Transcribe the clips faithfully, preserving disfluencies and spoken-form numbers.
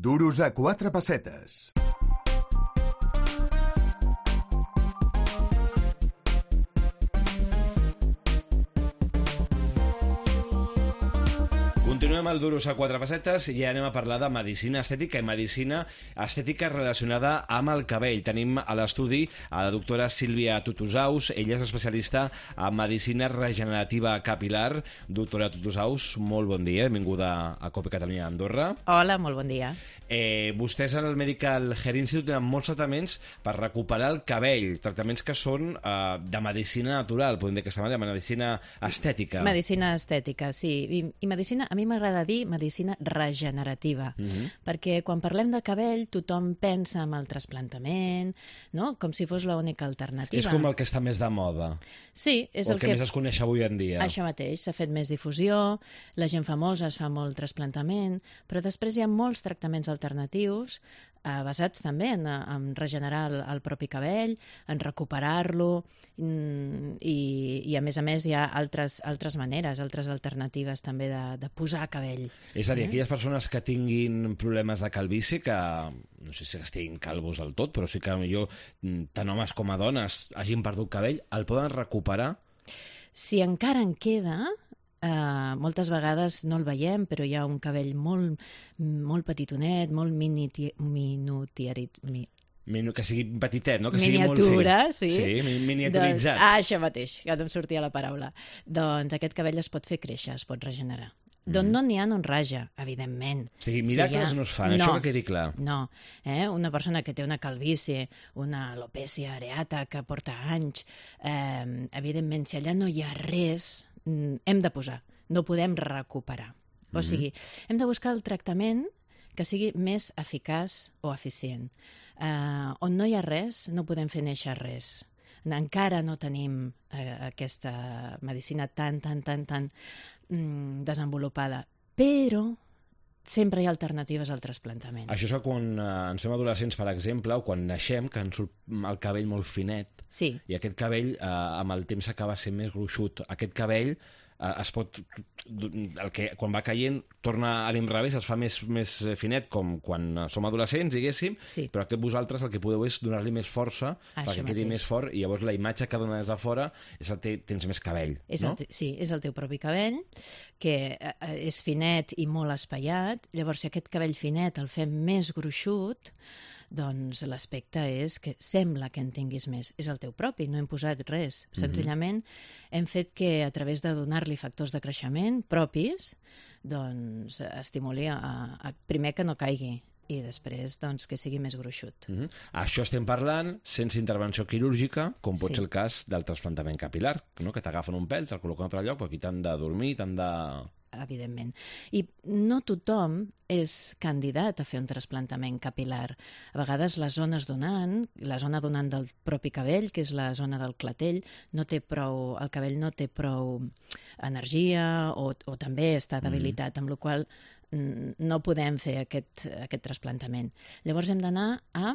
Duros a quatre pessetes. Continuem el Duros a quatre pessetes i ja anem a parlar de medicina estètica i medicina estètica relacionada amb el cabell. Tenim a l'estudi a la doctora Sílvia Tutusaus. Ella és especialista en medicina regenerativa capilar. Doctora Tutusaus, molt bon dia. Benvinguda a Cope Catalunya Andorra. Hola, molt bon dia. Eh, vostès en el Medical Hair Institute tenen molts tractaments per recuperar el cabell, tractaments que són eh, de medicina natural, podem dir d'aquesta manera, medicina estètica. Medicina estètica, sí. I, i medicina, a mi m'agrada dir medicina regenerativa, uh-huh. perquè quan parlem de cabell tothom pensa en el trasplantament, no? Com si fos l'única alternativa. És com el que està més de moda. Sí, és o el, el que, que més es coneix avui en dia. Això mateix, s'ha fet més difusió, la gent famosa es fa molt trasplantament, però després hi ha molts tractaments alternatius eh, basats també en, en regenerar el, el propi cabell, en recuperar-lo mm, i, i a més a més hi ha altres, altres maneres, altres alternatives també de, de posar cabell. És a dir, eh? aquelles persones que tinguin problemes de calvície, que no sé si estiguin calvos del tot, però sí que potser tant homes com a dones hagin perdut cabell, el poden recuperar? Si encara en queda, Uh, moltes vegades no el veiem, però hi ha un cabell molt, molt petitonet, molt minutiarit... Mi... Minu, que sigui petitet, no? Que Miniatura, sigui molt fi. sí. Sí, miniaturitzat. Doncs, ah, això mateix, que no em sortia la paraula. Doncs aquest cabell es pot fer créixer, es pot regenerar. Mm. D'on no n'hi ha, no en raja, evidentment. O sigui, miracles si ha... no es fan, no, això que quedi clar. No, eh? Una persona que té una calvície, una alopècia areata que porta anys, eh, evidentment, si allà no hi ha res, hem de posar, no podem recuperar. Mm-hmm. O sigui, hem de buscar el tractament que sigui més eficaç o eficient. Eh, on no hi ha res, no podem fer néixer res. Encara no tenim eh, aquesta medicina tan, tan, tan, tan mm, desenvolupada, però sempre hi ha alternatives al trasplantament. Això és que quan eh, ens fem adolescents, per exemple, o quan naixem, que ens surt el cabell molt finet, sí. I aquest cabell eh, amb el temps acaba sent més gruixut. Aquest cabell eh, es pot... El que, quan va caient, torna a l'inrevés, es fa més, més finet, com quan som adolescents, diguéssim, sí. Però aquest vosaltres el que podeu és donar-li més força, Això perquè quedi mateix. més fort, i llavors la imatge que dona des de fora és que tens més cabell, és no? El te... Sí, és el teu propi cabell, que eh, és finet i molt espaiat. Llavors, si aquest cabell finet el fem més gruixut, doncs l'aspecte és que sembla que en tinguis més. És el teu propi, no hem posat res. Senzillament mm-hmm. hem fet que a través de donar-li factors de creixement propis, doncs estimuli a, a, primer que no caigui i després doncs, que sigui més gruixut. Mm-hmm. Això estem parlant sense intervenció quirúrgica, com pot sí. ser el cas del trasplantament capilar, no? Que t'agafen un pèl, te'l col·loquen a un altre lloc, però aquí t'han de dormir, t'han de... Evidentment. I no tothom és candidat a fer un trasplantament capilar. A vegades les zones donant, la zona donant del propi cabell, que és la zona del clatell, no té prou, el cabell no té prou energia o, o també està debilitat, mm. amb la qual no podem fer aquest, aquest trasplantament. Llavors hem d'anar a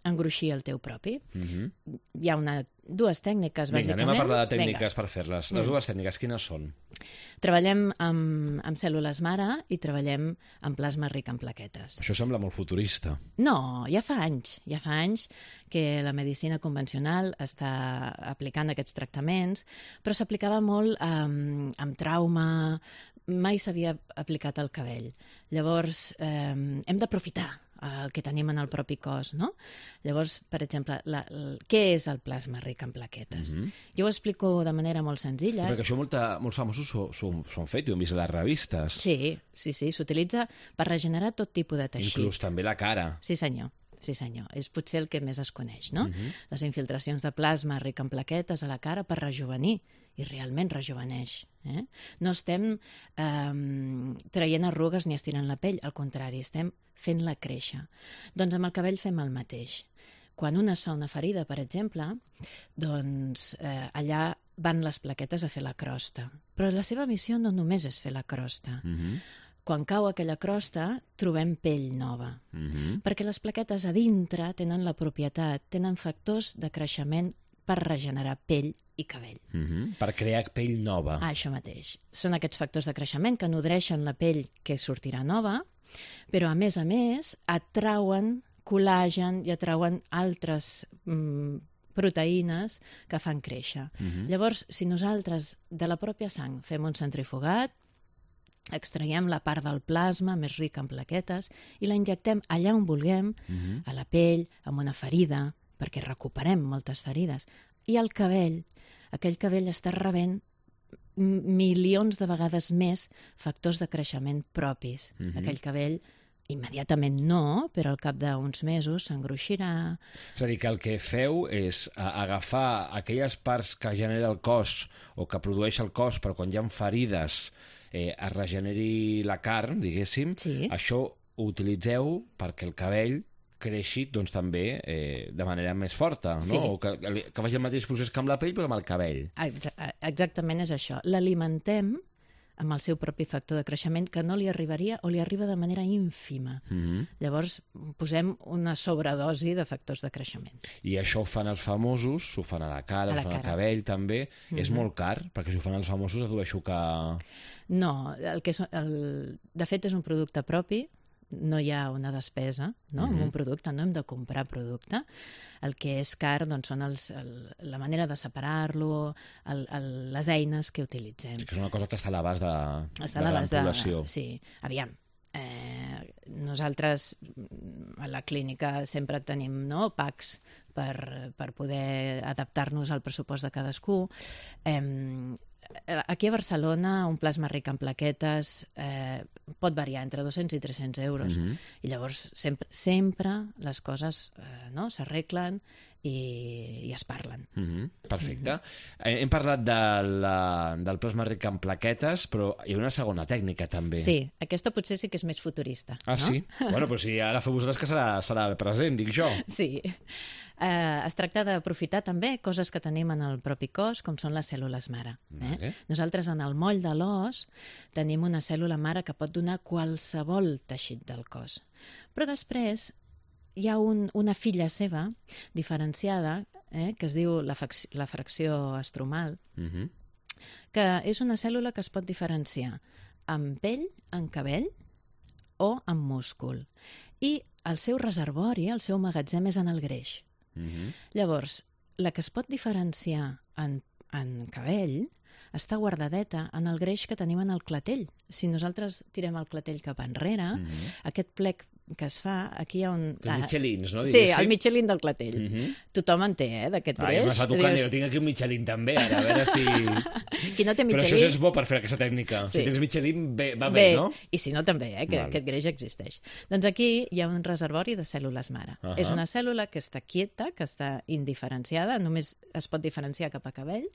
engruixir el teu propi. Mm-hmm. Hi ha una, dues tècniques, Vinga, bàsicament. Anem a parlar de tècniques Vinga. Per fer-les. Les dues tècniques, quines són? Treballem amb, amb cèl·lules mare i treballem amb plasma ric en plaquetes. Això sembla molt futurista. No, ja fa anys. Ja fa anys que la medicina convencional està aplicant aquests tractaments, però s'aplicava molt amb, amb trauma, mai s'havia aplicat al cabell. Llavors, eh, hem d'aprofitar el que tenim en el propi cos, no? Llavors, per exemple, la, la, què és el plasma ric en plaquetes? Mm-hmm. Jo ho explico de manera molt senzilla. Perquè això molta, molts famosos s'ho han fet i ho hem vist a les revistes. Sí, sí, sí, s'utilitza per regenerar tot tipus de teixit. Inclús també la cara. Sí, senyor. Sí, senyor. És potser el que més es coneix, no? Mm-hmm. Les infiltracions de plasma ric en plaquetes a la cara per rejuvenir, i realment rejuveneix. Eh? No estem eh, traient arrugues ni estirant la pell, al contrari, estem fent-la créixer. Doncs amb el cabell fem el mateix. Quan un es fa una ferida, per exemple, doncs eh, allà van les plaquetes a fer la crosta. Però la seva missió no només és fer la crosta. Mm-hmm. Quan cau aquella crosta, trobem pell nova. Mm-hmm. Perquè les plaquetes a dintre tenen la propietat, tenen factors de creixement per regenerar pell i cabell. Mm-hmm. Per crear pell nova. Ah, això mateix. Són aquests factors de creixement que nodreixen la pell que sortirà nova Però, a més a més, atrauen col·làgen i atrauen altres mm, proteïnes que fan créixer. Mhm. Llavors, si nosaltres de la pròpia sang fem un centrifugat, extraiem la part del plasma més rica en plaquetes i la injectem allà on vulguem, Mhm. a la pell, amb una ferida, perquè recuperem moltes ferides. I el cabell, aquell cabell està rebent m- milions de vegades més factors de creixement propis. Mhm. Aquell cabell immediatament no, però al cap d'uns mesos s'engruixirà. És a dir, que el que feu és a- agafar aquelles parts que genera el cos o que produeix el cos, però quan hi ha ferides eh, es regeneri la carn, diguéssim, Sí. això ho utilitzeu perquè el cabell creixi doncs, també eh, de manera més forta, no? Sí. O que, que faci el mateix procés que amb la pell, però amb el cabell. Exa- Exactament és això. L'alimentem amb el seu propi factor de creixement que no li arribaria o li arriba de manera ínfima. Mhm. Llavors posem una sobredosi de factors de creixement. I això ho fan els famosos, s'ho fan a la cara, A ho la fan al cara. cabell també. És Mhm. molt car, perquè si ho fan els famosos dedueixo que... No, el que és, el, de fet és un producte propi, no hi ha una despesa no? Mhm. amb un producte, no hem de comprar producte. El que és car doncs, són els, el, la manera de separar-lo, el, el, les eines que utilitzem. que és una cosa que està a l'abast de, Està de a la l'abast de... població. Sí, aviam. Eh, nosaltres mm, a la clínica sempre tenim no, packs per, per poder adaptar-nos al pressupost de cadascú. Eh, aquí a Barcelona un plasma ric en plaquetes eh, pot variar entre dos-cents i tres-cents euros. Mhm. I llavors sempre, sempre les coses eh, no, s'arreglen i, i es parlen. Mhm, perfecte. Eh, Hem parlat de la, del plasma ric en plaquetes, però hi ha una segona tècnica també. Sí, aquesta potser sí que és més futurista. Ah, no? sí? Bueno, però si ara feu vosaltres que serà, serà present, dic jo. Sí. Eh, es tracta d'aprofitar també coses que tenim en el propi cos, com són les cèl·lules mare. Eh? Vale. Nosaltres en el moll de l'os tenim una cèl·lula mare que pot donar qualsevol teixit del cos. Però després hi ha un, una filla seva diferenciada eh, que es diu la, fac- la fracció estromal, Mhm. que és una cèl·lula que es pot diferenciar amb pell, en cabell o amb múscul. I el seu reservori, el seu magatzem és en el greix. Mhm. Llavors, la que es pot diferenciar en, en cabell està guardadeta en el greix que tenim en el clatell. Si nosaltres tirem el clatell cap enrere, Mhm. aquest plec que es fa, aquí hi ha un... Que Michelins, no? Sí, Diguéssim. el Michelin del clatell. Mhm. Tothom en té, eh, d'aquest Ah, ja greix. m'està tocant, Dius, jo tinc aquí un Michelin també, ara, a veure si... qui no té Però Michelin... això és bo per fer aquesta tècnica. Sí. Si tens Michelin, bé, va bé, Bé, no? i si no també, eh, que Val. aquest greix existeix. Doncs aquí hi ha un reservori de cèl·lules mare. Ahà. És una cèl·lula que està quieta, que està indiferenciada, només es pot diferenciar cap a cabell,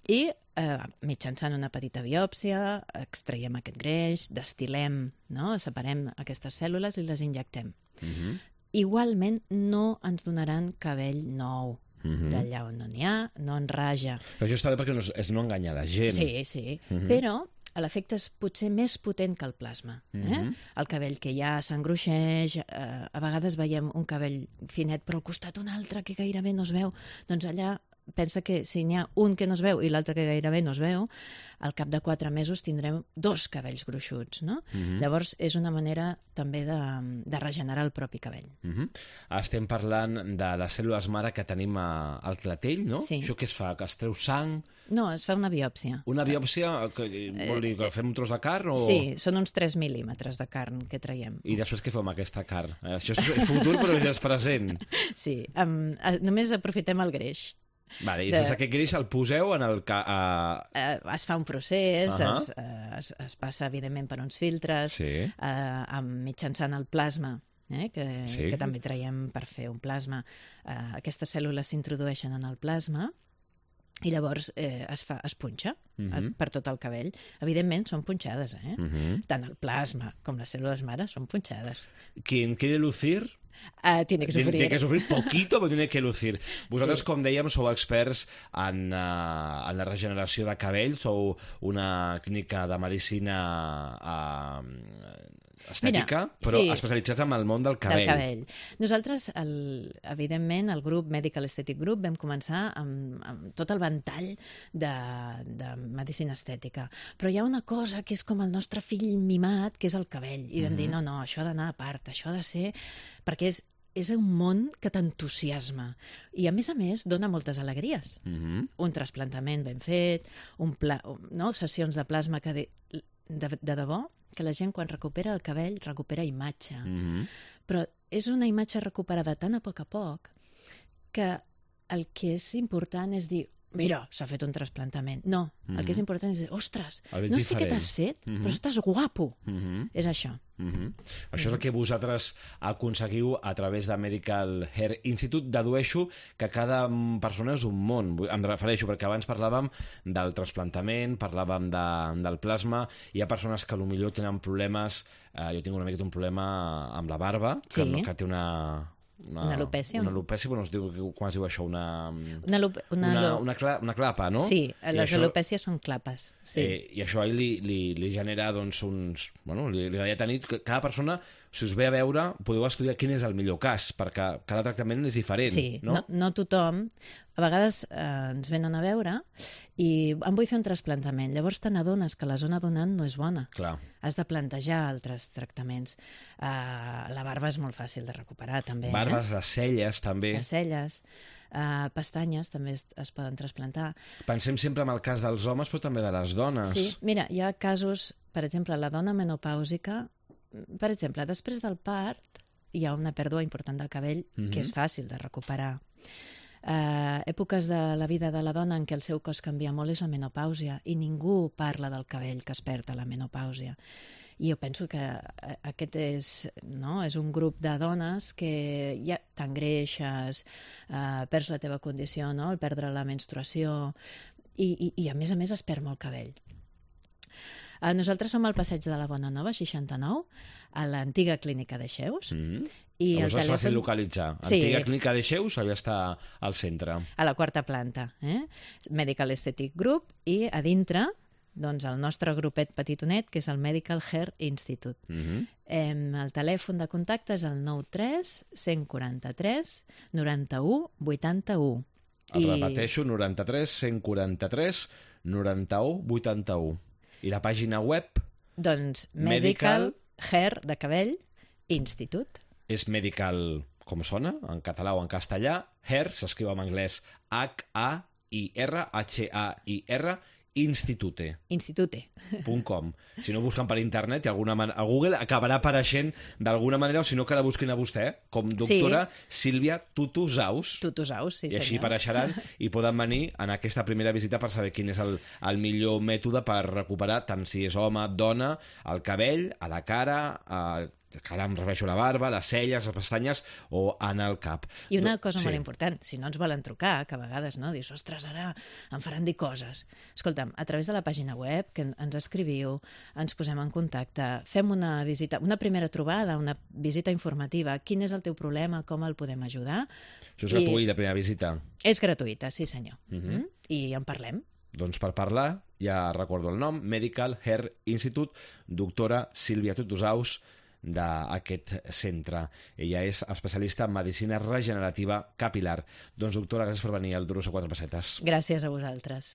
i eh, mitjançant una petita biòpsia extraiem aquest greix, destilem, no? Separem aquestes cèl·lules i les injectem. Mhm. Igualment no ens donaran cabell nou. Mhm. D'allà on no n'hi ha, no en raja. Però això està bé perquè no és, és no enganyar la gent. Sí, sí. Mhm. Però l'efecte és potser més potent que el plasma. Eh? Mhm. El cabell que ja s'engruixeix, eh, a vegades veiem un cabell finet, però al costat un altre que gairebé no es veu. Doncs allà pensa que si n'hi ha un que no es veu i l'altre que gairebé no es veu, al cap de quatre mesos tindrem dos cabells gruixuts, no? Mhm. Llavors és una manera també de, de regenerar el propi cabell. Mhm. Estem parlant de les cèl·lules mare que tenim a, al clatell, no? Sí. Això què es fa? Que es treu sang? No, es fa una biòpsia. Una biòpsia? Que, vol dir que fem un tros de carn? O... Sí, són uns tres mil·límetres de carn que traiem. I després què fem amb aquesta carn? Eh, Això és futur, però ja és present. Sí, um, només aprofitem el greix. Vale, i De- després aquest greix el poseu en el... Ca... A... Eh, es fa un procés, Ahà. es, eh, es, es passa, evidentment, per uns filtres, Sí. eh, amb, mitjançant el plasma, eh, que, Sí. que també traiem per fer un plasma. Eh, aquestes cèl·lules s'introdueixen en el plasma i llavors eh, es, fa, es punxa Mhm. eh, per tot el cabell. Evidentment, són punxades, eh? Mhm. Tant el plasma com les cèl·lules mare són punxades. Quien quiere lucir... Uh, tiene que sufrir. Tiene que sufrir poquito, però tiene que lucir. Vosaltres, Sí. com dèiem, sou experts en, uh, en la regeneració de cabell, sou una clínica de medicina uh, estètica, Mira, però sí, especialitzats en el món del cabell. Del cabell. Nosaltres, el, evidentment, el grup Medical Aesthetic Group vam començar amb, amb tot el ventall de, de medicina estètica. Però hi ha una cosa que és com el nostre fill mimat, que és el cabell. I vam mm-hmm. dir, no, no, això ha d'anar a part, això ha de ser... Perquè és, és un món que t'entusiasma. I, a més a més, dona moltes alegries. Mm-hmm. Un trasplantament ben fet, un pla, no? Sessions de plasma que de, de, de debò, que la gent quan recupera el cabell recupera imatge. Mm-hmm. Però és una imatge recuperada tan a poc a poc que el que és important és dir, mira, s'ha fet un trasplantament. No, mm-hmm. el que és important és dir, ostres, no sé què t'has fet, mm-hmm. però estàs guapo. Mm-hmm. És això. Mm-hmm. Això és el que vosaltres aconseguiu a través de Medical Hair Institute. Dedueixo que cada persona és un món. Em refereixo perquè abans parlàvem del trasplantament, parlàvem de, del plasma. Hi ha persones que potser tenen problemes... Eh, jo tinc una mica un problema amb la barba, que, sí. no, que té una... Una, una alopècia? Una alopècia, bueno, es diu, com es diu això? Una, una, una, una, una, cla, una clapa, no? Sí, les això, alopècies són clapes. Sí. Eh, I això li, li, li genera doncs, uns... Bueno, li, li deia tenir que cada persona, si us ve a veure, podeu estudiar quin és el millor cas, perquè cada tractament és diferent. Sí, no, no, no tothom. A vegades eh, ens venen a veure i em vull fer un trasplantament. Llavors te n'adones que la zona donant no és bona. Clar. Has de plantejar altres tractaments. Uh, la barba és molt fàcil de recuperar, també. Barbes, eh? les celles, també. Les celles. Uh, pestanyes també es, es poden trasplantar. Pensem sempre en el cas dels homes, però també de les dones. Sí, mira, hi ha casos, per exemple, la dona menopàusica, per exemple, després del part hi ha una pèrdua important del cabell mm-hmm. que és fàcil de recuperar. Uh, èpoques de la vida de la dona en què el seu cos canvia molt és la menopàusia i ningú parla del cabell que es perd a la menopàusia. I jo penso que aquest és, no? és un grup de dones que ja t'engreixes, uh, perds la teva condició, no? el perdre la menstruació i, i, i a més a més es perd molt cabell. Uh, nosaltres som al Passeig de la Bona Nova, seixanta-nou, a l'antiga clínica de Xeus. Mm-hmm. I Llavors el telèfon... és fàcil localitzar. Sí. Antiga clínica de Xeus, allà està al centre. A la quarta planta. Eh? Medical Aesthetic Group i a dintre doncs, el nostre grupet petitonet, que és el Medical Hair Institute. Mm-hmm. eh, el telèfon de contacte és el nou tres cent quaranta-tres noranta-u vuitanta-u. El I... repeteixo, noranta-tres cent quaranta-tres noranta-u vuitanta-u. I la pàgina web? Doncs Medical, Medical Hair de Cabell Institute. És Medical, com sona, en català o en castellà. Hair s'escriu en anglès H A I R, H A I R, Institute. Institute. .com. Si no busquen per internet, i alguna man... a Google acabarà apareixent d'alguna manera, o si no que la busquin a vostè, com doctora sí. Sílvia Tutusaus. Tutusaus, sí I senyor. així apareixeran i poden venir en aquesta primera visita per saber quin és el, el millor mètode per recuperar, tant si és home, dona, el cabell, a la cara, a... cara em refereixo a la barba, les celles, les pestanyes o en el cap. I una cosa sí. molt important, si no ens volen trucar, que a vegades no, dius, ostres, ara em faran dir coses. Escolta'm, a través de la pàgina web, que ens escriviu, ens posem en contacte, fem una visita, una primera trobada, una visita informativa, quin és el teu problema, com el podem ajudar. Això és gratuït, la primera visita? És gratuïta, sí senyor. Uh-huh. mm? I en parlem. Doncs per parlar, ja recordo el nom, Medical Hair Institute, doctora Sílvia Tutusaus, d'aquest centre. Ella és especialista en medicina regenerativa capilar. Doncs, doctora, gràcies per venir al Duros a quatre pessetes. Gràcies a vosaltres.